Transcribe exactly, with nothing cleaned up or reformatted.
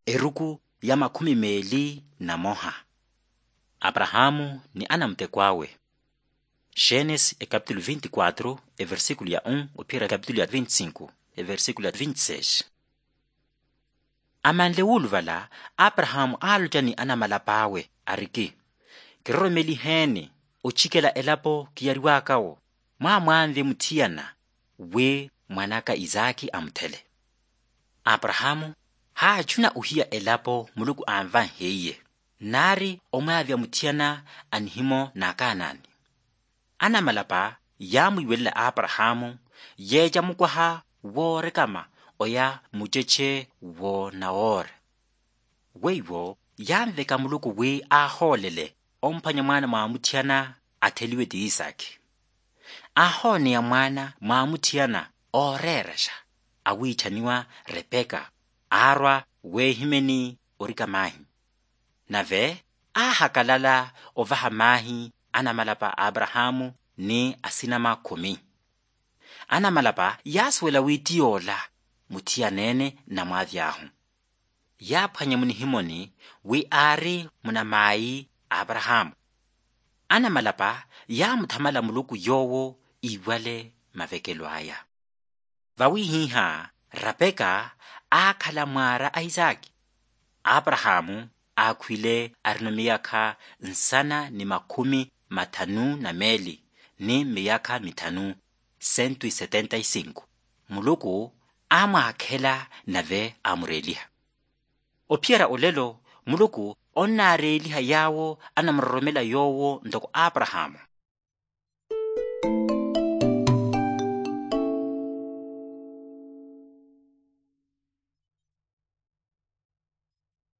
Eruku ya makhumi meeli na moha. Aparahaamu ni anamuteko awe. Xenesi ekapitulu vinti quatru, eversikulu ya un ophiyerya ekapitulu ya vinti sinku, eversikulu ya vinti seis. Amanle wuuluvala, aparahaamu aaloca ni anamalapa awe ariki, kiroromeliheeni ocikela elapo kiyariwakawo, mwaamwanve muthiyana wi mwan'aka isaaki amuthele. Aparahaamu haachuna ohiya elapo muluku anvanheiye, naari omwaavya muthiyana a nihimo n'akaanaani. Anamalapa yaamwiiwelela aparahaamu yeeca mukwaha woorekama oya mucece wo nawoora. Weiwo yaanveka muluku wi aahoolele omphwanya mwaana mwa muthiyana atheliwe ti isaaki. Aahooneya mwaana mwa muthiyana ooreeraxa awiichaniwa repeka, aarwa weehimeni orika maahi. Nave aahakalala ovaha maahi anamalapa a aparahaamu ni asinama khumi. Anamalapa yaasuwela wi ti yoola muthiyaneene nnamwaavy'ahu. Yaaphwanya munihimoni wi aari munamaayi a aparahaamu. Anamalapa yaamuthamala muluku yoowo iiwale mavekelo aya. Vawihiha rapeka aakhala mwaara a isaaki. Aparahaamu aakhwile arino miyakha nsana ni makhumi mathanu na meeli ni miyakha mithanu, sentu isetenta isinku. Muluku aamwaakhela nave aamureeliha. Ophiyerya olelo muluku onnaareeliha yaawo anamuroromela yoowo ntoko aparahaamu.